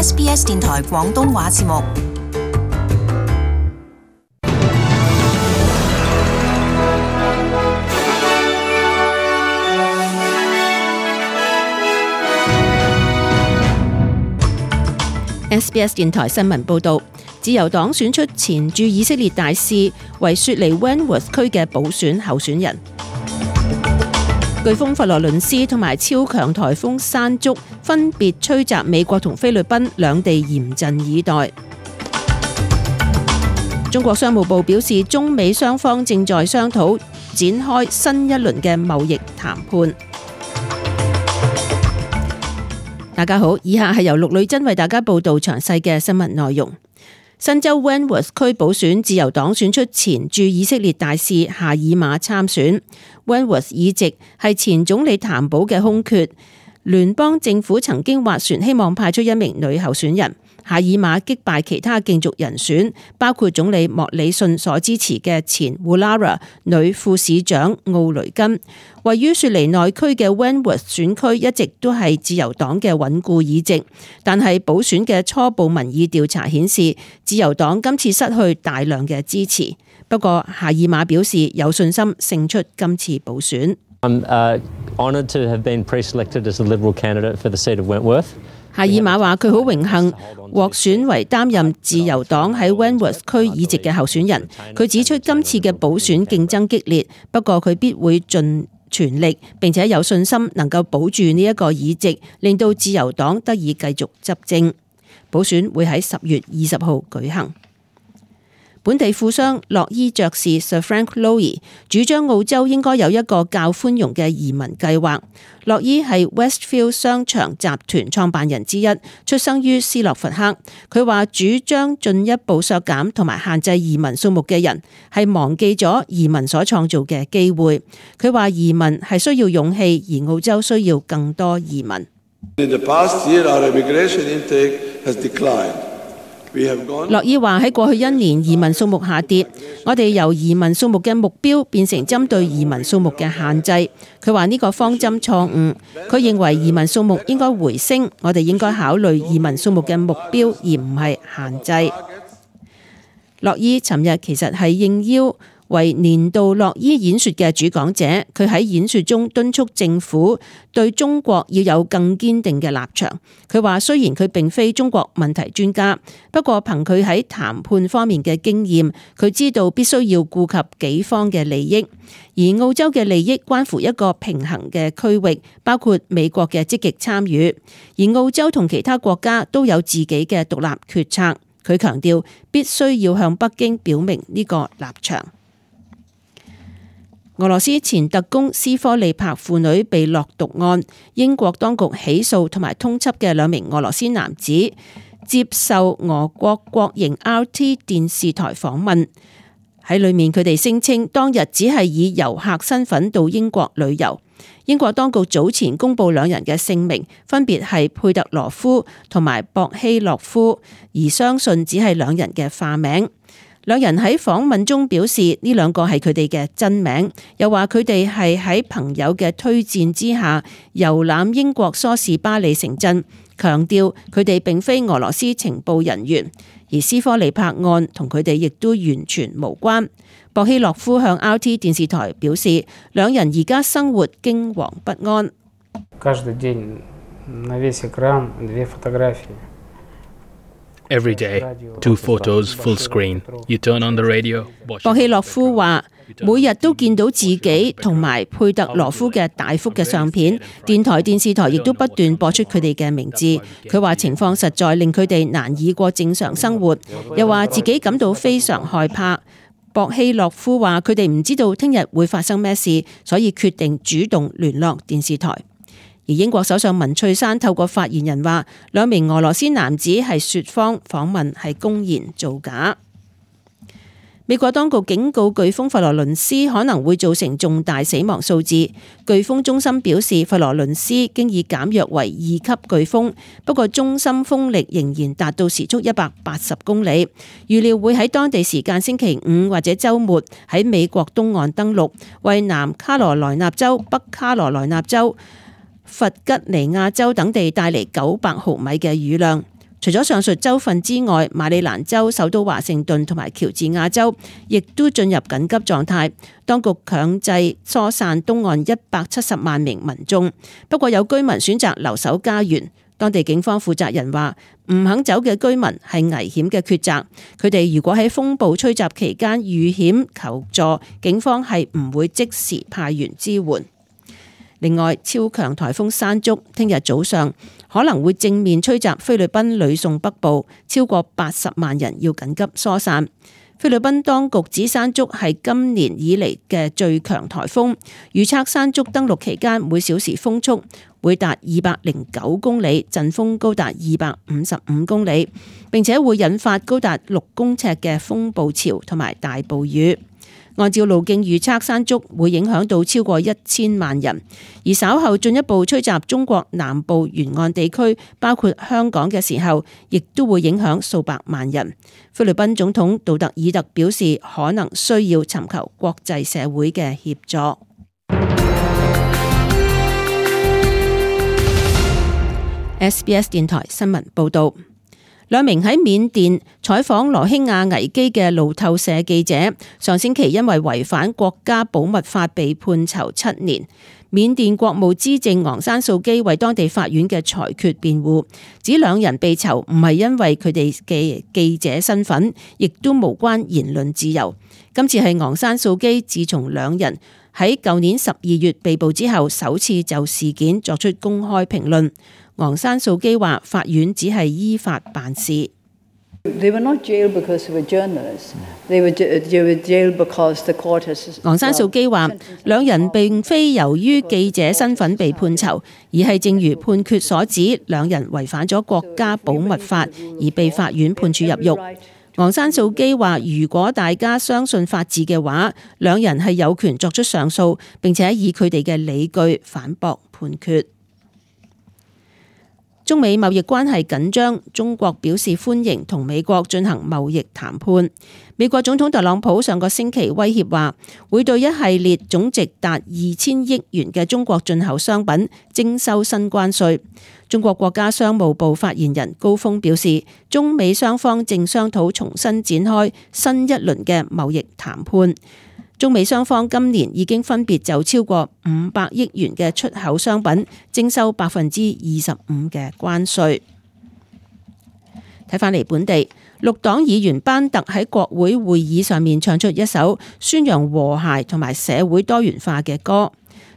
SBS 電台廣東話節目。SBS 電台新聞報導，自由黨選出前駐以色列大使為雪梨 Wentworth 區嘅補選候選人。颶風佛羅倫斯同埋超強颱風山竹分別吹襲美國同菲律賓兩地，嚴陣以待。中國商務部表示，中美雙方正在商討展開新一輪嘅貿易談判。大家好，以下係由陸女真為大家報道詳細嘅新聞內容。新州 Wentworth 區補選，自由黨選出前駐以色列大使夏爾馬參選。Wentworth 議席係前總理譚寶嘅空缺，聯邦政府曾經斡旋希望派出一名女候選人。夏爾馬擊敗其他競逐人選，包括總理莫里遜所支持嘅前 Woollahra 女副市長奧雷根。位於雪梨內區嘅 Wentworth 選區一直都係自由黨嘅穩固議席，但係補選嘅初步民意調查顯示，自由黨今次失去大量嘅支持。不過夏爾馬表示有信心勝出今次補選。I'm honoured to have been pre-selected as the Liberal candidate for the seat of Wentworth. 夏爾馬話佢好榮幸獲選為擔任自由黨喺 Wentworth 區議席嘅候選人。佢指出今次嘅補選競爭激烈，不過佢必會盡全力，並且有信心能夠保住呢一個議席，令到自由黨得以繼續執政。補選會喺10月20號舉行。本地富商洛伊爵士 Sir Frank Lowy 主張澳洲應該有一個較寬容嘅移民計劃。洛伊係 Westfield 商場集團創辦人之一，出生於斯洛伐克。佢話主張進一步削減同埋限制移民數目嘅人係忘記咗移民所創造嘅機會。佢話移民係需要勇氣，而澳洲需要更多移民。In the past year, our immigration intake has declined. 洛伊話喺過去1年移民數目下跌，我哋由移民數目嘅目標變成針對移民數目嘅限制。佢話呢個方針錯誤，佢認為移民數目應該回升，我哋應該考慮移民數目嘅目標而唔係限制。洛伊尋日其實係應邀為年度洛伊演說嘅主講者，佢喺演說中敦促政府對中國要有更堅定嘅立場。佢話雖然佢並非中國問題專家，不過憑佢喺談判方面嘅經驗，佢知道必須要顧及己方嘅利益，而澳洲嘅利益關乎一個平衡嘅區域，包括美國嘅積極參與，而澳洲同其他國家都有自己嘅獨立決策。佢強調必須要向北京表明呢個立場。俄羅斯前特工斯科利帕父女被落毒案，英國當局起訴同埋通緝嘅2名俄羅斯男子接受俄國國營 RT 電視台訪問，喺裏面佢哋聲稱當日只係以遊客身份到英國旅遊。英國當局早前公布2人嘅姓名，分別係佩特羅夫同埋博希洛夫，而相信只係2人嘅化名。2人喺訪問中表示呢2個係佢哋嘅真名，又話佢哋係喺朋友嘅推薦之下遊覽英國梳士巴利城鎮，強調佢哋並非俄羅斯情報人員，而斯科利帕案同佢哋亦都完全無關。博希洛夫向 RT 電視台表示，2人而家生活驚惶不安。Every day, 2 photos full screen. You turn on the radio. 博希洛夫話：每日都見到自己同埋佩特羅夫嘅大幅嘅相片，電台、電視台亦都不斷播出佢哋嘅名字。佢話情況實在令佢哋難以過正常生活，又話自己感到非常害怕。博希洛夫話：佢哋唔知道聽日會發生咩事，所以決定主動聯絡電視台。而英國首相文翠珊透過發言人話，2名俄羅斯男子係說謊訪問係公然造假。美國當局警告颶風佛羅倫斯可能會造成重大死亡數字。颶風中心表示，佛羅倫斯經已減弱為2級颶風，不過中心風力仍然達到時速180公里，預料會喺當地時間星期5或者週末喺美國東岸登陸，為南卡羅來納州、北卡羅來納州、弗吉尼亞州等地帶嚟900毫米嘅雨量。除咗上述州份之外，馬里蘭州首都華盛頓同埋喬治亞州亦都進入緊急狀態，當局強制疏散東岸170萬名民眾。不過有居民選擇留守家園。當地警方負責人話，唔肯走嘅居民係危險嘅抉擇，佢哋如果喺風暴吹襲期間遇險求助，警方係唔會即時派員支援。另外，超強颱風山竹聽日早上可能會正面吹襲菲律賓呂宋北部，超過80萬人要緊急疏散。菲律賓當局指山竹係今年以嚟嘅最強颱風，預測山竹登陸期間每小時風速會達209公里，陣風高達255公里，並且會引發高達6公尺嘅風暴潮同埋大暴雨。按照路徑預測，山竹會影響到超過1000萬人，而稍後進一步吹襲中國南部沿岸地區，包括香港嘅時候，亦都會影響數百萬人。菲律賓總統杜特爾特表示，可能需要尋求國際社會嘅協助。SBS 電台新聞報導。兩名喺緬甸採訪羅興亞危機嘅路透社記者，上星期因為違反國家保密法被判囚7年。緬甸國務資政昂山素基為當地法院嘅裁決辯護，指兩人被囚唔係因為佢哋嘅記者身份，亦都無關言論自由。今次係昂山素基自從兩人喺舊年12月被捕之後，首次就事件作出公開評論。昂山素基話：法院只係依法辦事。昂山素基話：兩人並非由於記者身份被判囚，而係正如判決所指，兩人違反咗國家保密法而被法院判處入獄。昂山素基話：如果大家相信法治嘅話，兩人係有權作出上訴，並且以佢哋嘅理據反駁判決。中美貿易關係緊張，中國表示歡迎同美國進行貿易談判。美國總統特朗普上個星期威脅話，會對一系列總值達2000億元嘅中國進口商品徵收新關稅。中國國家商務部發言人高峰表示，中美雙方正商討重新展開新一輪嘅貿易談判。中美雙方今年已經分別就超過500億元嘅出口商品徵收25%嘅關稅。睇返嚟本地，綠黨議員班特喺國會會議上面唱出一首宣揚和諧同埋社會多元化嘅歌。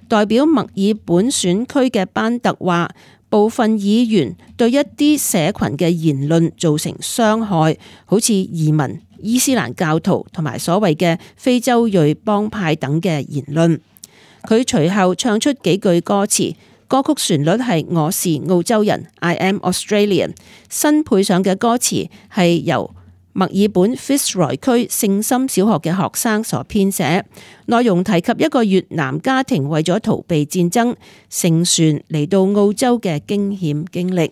代表墨爾本選區嘅班特話，部分議員對一啲社群嘅言論造成傷害，好似移民、伊斯蘭教徒同埋所謂嘅非洲裔幫派等嘅言論。佢隨後唱出幾句歌詞，歌曲旋律係我是澳洲人 I am Australian， 新配上嘅歌詞係由墨爾本 Fitzroy 區聖心小學嘅學生所編寫，內容提及一個越南家庭為咗逃避戰爭乘船嚟到澳洲嘅驚險經歷。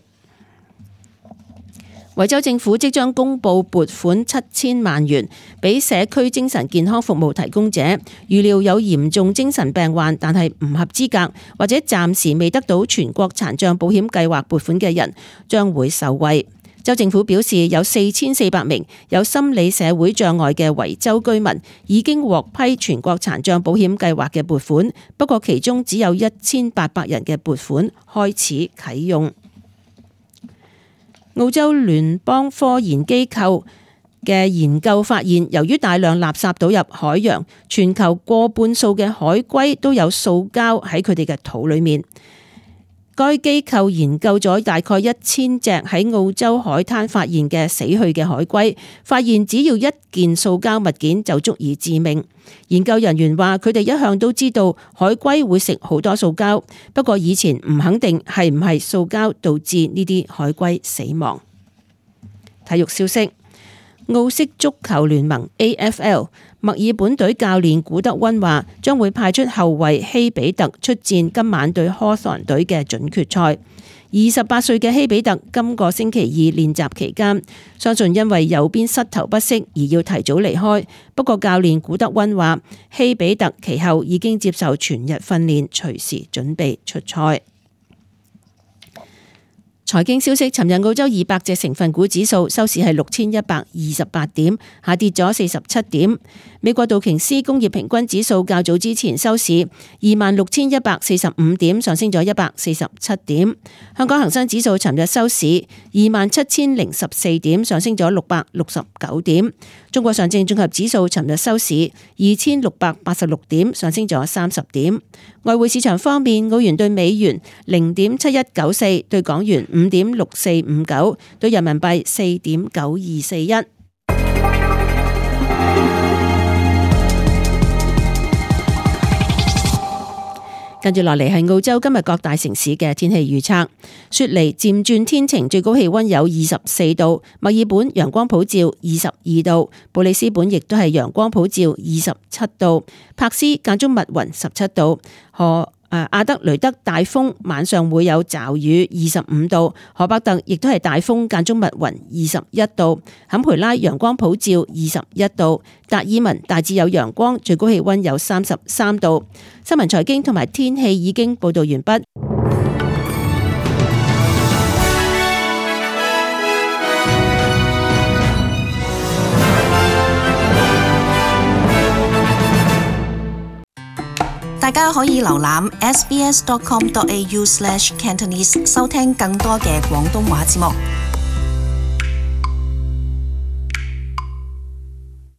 維州政府即將公布撥款7000萬元俾社區精神健康服務提供者，預料有嚴重精神病患但係唔合資格或者暫時未得到全國殘障保險計劃撥款嘅人將會受惠。州政府表示，有4400名有心理社會障礙嘅維州居民已經獲批全國殘障保險計劃嘅撥款，不過其中只有1800人嘅撥款開始啟用。澳洲聯邦科研機構嘅研究發現，由於大量垃圾倒入海洋，全球過半數嘅海龜都有塑膠喺佢哋嘅肚裏面。該機構研究咗大概1000隻喺澳洲海灘發現嘅死去嘅海龜，發現只要一件塑膠物件就足以致命。研究人員話，佢哋一向都知道海龜會食好多塑膠，不過以前唔肯定係唔係塑膠導致呢啲海龜死亡。體育消息，澳式足球聯盟 AFL 墨爾本隊教練古德溫話，將會派出後衛希比特出戰今晚對Hawthorn隊嘅準決賽。28歲嘅希比特今個星期二練習期間，相信因為右邊膝頭不適而要提早離開。不過教練古德溫話，希比特其後已經接受全日訓練，隨時準備出賽。財經消息，尋日澳洲200隻成分股指數收市係6128點，下跌咗47點。美國道瓊斯工業平均指數較早之前收市26145點，上升咗147點。香港恒生指數尋日收市27014點，上升咗669點。中國上證綜合指數尋日收市2686點，上升咗30點。外匯市場方面，澳元對美元0.7194，對港元5.6459，對人民幣4.9241。跟住落嚟係澳洲今日各大城市嘅天氣預測。雪梨漸轉天晴，最高氣溫有24度；墨爾本陽光普照22度；布里斯本亦都係陽光普照27度；柏斯間中密雲17度；阿德雷德大風，晚上會有驟雨25度；荷伯特亦都係大風間中密雲21度；坎培拉陽光普照21度；達爾文大致有陽光，最高氣溫有33度。新聞財經同埋天氣已經報道完畢。大家可以瀏覽 sbs.com.au/cantonese 收聽更多嘅廣東話節目。